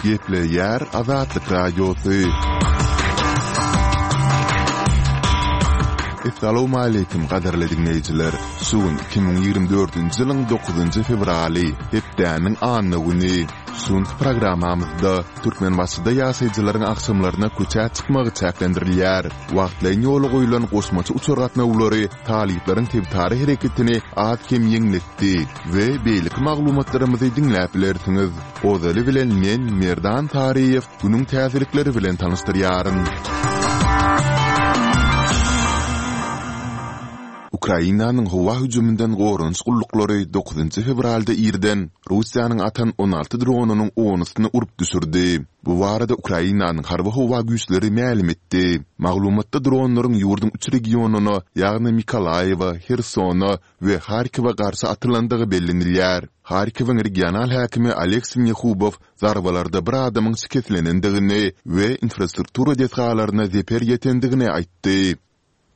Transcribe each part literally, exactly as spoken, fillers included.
Gepleýär Azatlyk Radiosy. Essalawmaleýkim gadyrly diňleýjiler! Şu gün iki müň ýigrimi dördünji ýylyň dokuzynjy fewraly, hepdäniň anna güni. Şu günki programmamyzda Türkmenbaşyda ýaşaýjylaryň agşamlaryna köçä çykmagy çäklendirilýär. Wagtlaýyn ýola goýlan goşmaça uçar gatnawlary talyplaryň sebitara hereketini az-kem ýeňletdi we beýleki maglumatlarymyzy diňläp bilersiňiz. Ozaly bilen men, Merdan Taryýew, günüň täzelikleri bilen tanyşdyrýaryn. Ukrainanyň howa hüjüminden goranyş gulluklary dokuzynjy fewralda irden Russiýanyň atan on alty dronynyň onusyny urup düşürdi. Bu barada Ukrainanyň Harby-howa güýçleri mälim etdi. Maglumatda dronlaryň ýurduň üç regionyna, ýagny Mykolaýiwe, Hersona we Harkowa garşy atylandygy bellenilýär. Harkowyň regional häkimi Oleg Sinehubow zarbalarda bir adamyň şikeslenendigini we infrastruktura desgalaryna zeper ýetendigini aýtdy.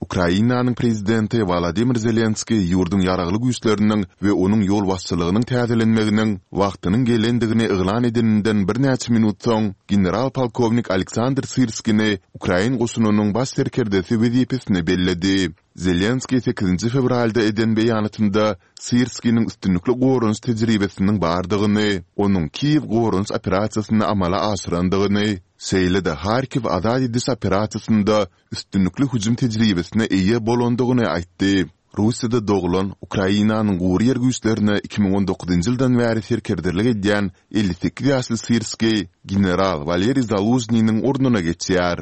Ukrainanyň prezidenti Wolodymyr Zelenskiý ýurduň Ýaragly Güýçleriniň we onuň ýolbaşçylygynyň täzelenmeginiň wagtynyň gelendigini yglan edeninden birnäçe minut soň, general-polkownik Aleksandr Syrskini ukrain goşunynyň baş serkerdesi wezipesine belledi. Zelenskiý sekizinji fewralda eden beýanatynda Syrskiniň üstünlikli goranyş tejribesiniň bardygyny, onuň Kiýew goranyş operasiýasyny amala aşyrandygyny, şeýle-de Harkiw azat ediş operasiýasynda üstünlikli hüjüm tejribesine eýe bolandygyny aýtdy. Russiýada doglan, Ukrainanyň gury ýer güýçlerine iki müň on dokuzynjy ýyldan bäri serkerdelik edýän elli sekiz ýaşly Syrskiý general Waleriý Zalužnynyň ornuna geçýär.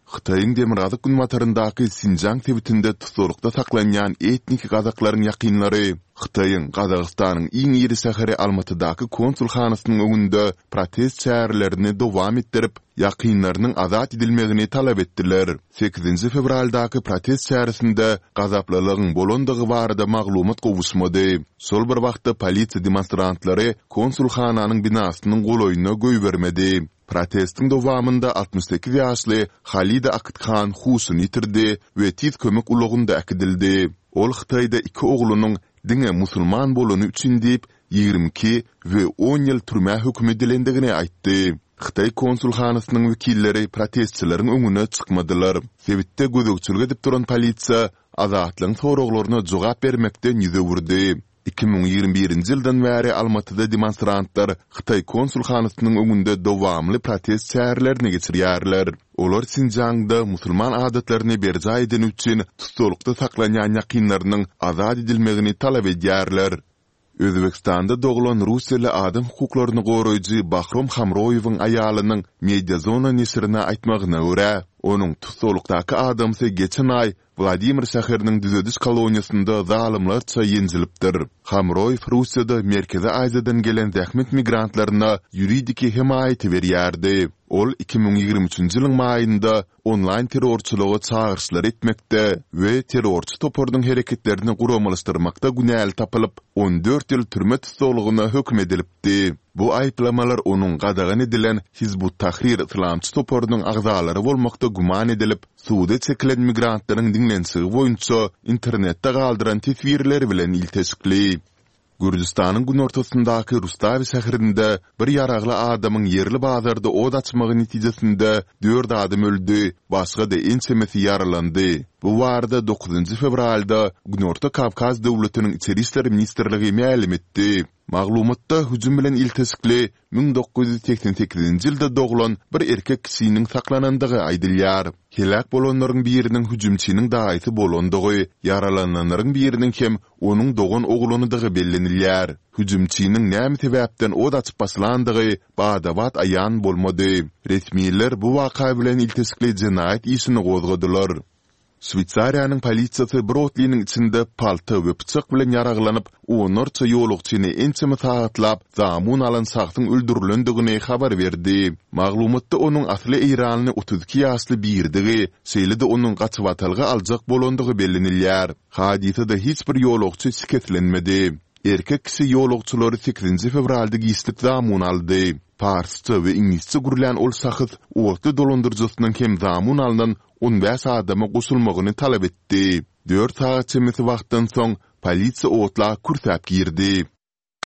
Hytaýyň demirgazyk-günbataryndaky Sinjiang sebitinde tussaglykda saklanýan etniki gazaklaryň ýakynlary Hytaýyň Gazagystanyň iň iri şäheri Almatydaky konsulhanasynyň öňünde protest çärelerini dowam etdirip, ýakynlarynyň azat edilmegini talap etdiler. Sekizinji fewraldaky protest çäresinde gazaplylygyň bolandygy barada maglumat gowuşmady. Şol bir wagtda polisiýa demonstrantlary konsulhananyň binasynyň golaýyna goýbermedi. Protestiň dowamynda altmyş sekiz ýaşly Halida Akythan huşuny ýitirdi we tiz kömek ulagynda äkidildi. Ol Hytaýda iki oglunyň diňe musulman bolany üçin diýip, ýigrimi iki we on ýyl türmä höküm edilendigini aýtdy. Hytaý konsulhanasynyň wekilleri protestçileriň öňüne çykmadylar. Sebitde gözegçilik edip duran polisiýa Azatlygyň soraglaryna jogap bermekden ýüz öwürdi. Iki müň ýigrimi birinji ýyldan bäri Almatyda demonstrantlar Hytaý konsulhanasynyň öňünde dowamly protest çärelerini geçirýärler. Olar Sinjiangda musulman adatlaryny berjaý edeni üçin tussaglykda saklanýan ýakynlarynyň azat edilmegini talap edýärler. Özbegistanda doglan russiýaly adam hukuklaryny goraýjy Bahrom Hamroýewiň aýalynyň Mediazona neşirine aýtmagyna görä, onuň tussaglykdaky adamsy geçen aý Wladimir şäheriniň düzediş koloniýasynda zalymlarça ýenjilipdir. Hamroýew Russiýada Merkezi Aziýadan gelen zähmet migrantlaryna ýuridiki hemaýaty berýärdi. Ol iki müň ýigrimi üçünji ýylyň maýynda onlaýn terrorçylyga çagyryşlar etmekde we terrorçy toparynyň hereketlerini guramalaşdyrmakda günäli tapylyp, on dört ýyl türme tussaglygyna höküm edilipdi. Bu aýyplamalar onuň gadagan edilen Hizb ut-Tahrir yslamçy toparynyň agzalary bolmakda güman edilip, suda çekilen migrantlaryň diňlenişigi boýunça internetde galdyran teswirleri bilen ilteşikli. Gürjüstanyň günortasyndaky Rustawi şäherinde bir ýaragly adamyň ýerli bazarda ot açmagy netijesinde dört adam öldi, başga-da ençemesi ýaralandy. Bu barada dokuzynjy fewralda Günorta Kawkaz döwletiniň Içeri işler ministrligi mälim etdi. Maglumatda hüjüm bilen ilteşikli müň dokuz ýüz segsen sekizinji ýylda doglan bir erkek kişiniň saklanandygy aýdylýar. Heläk bolanlaryň biriniň hüjümçiniň daýysy bolandygy, ýaralananlaryň biriniň hem onuň dogan oglanydygy bellenilýär. Hüjümçiniň näme sebäpden ot açyp başlandygy bada-bat aýan bolmady. Resmiler bu waka bilen ilteşikli jenaýat işini gozgadylar. Şweýsariýanyň polisiýasy bir otlynyň içinde palta we pyçak bilen ýaraglanyp, onlarça ýolagçyny ençeme sagatlap zamun alan şahsyň öldürilendigini habar berdi. Maglumatda onuň asly eýranly otuz iki ýaşly birdigi, şeýle-de onuň gaçybatalga aljak bolandygy bellenilýär. Hadysada hiç bir ýolagçy şikeslenmedi. Erkek kişi ýolagçylary sekizinji fewralda giçlik zamun aldy. Parsça we iňlisçe gürlän ol şahs otly dolandyryjysynyň hem zamun alnan on bäş adama goşulmagyny talap etdi. Dört sagat çemesi wagtdan soň, polisiýa otla kürsäp girdi.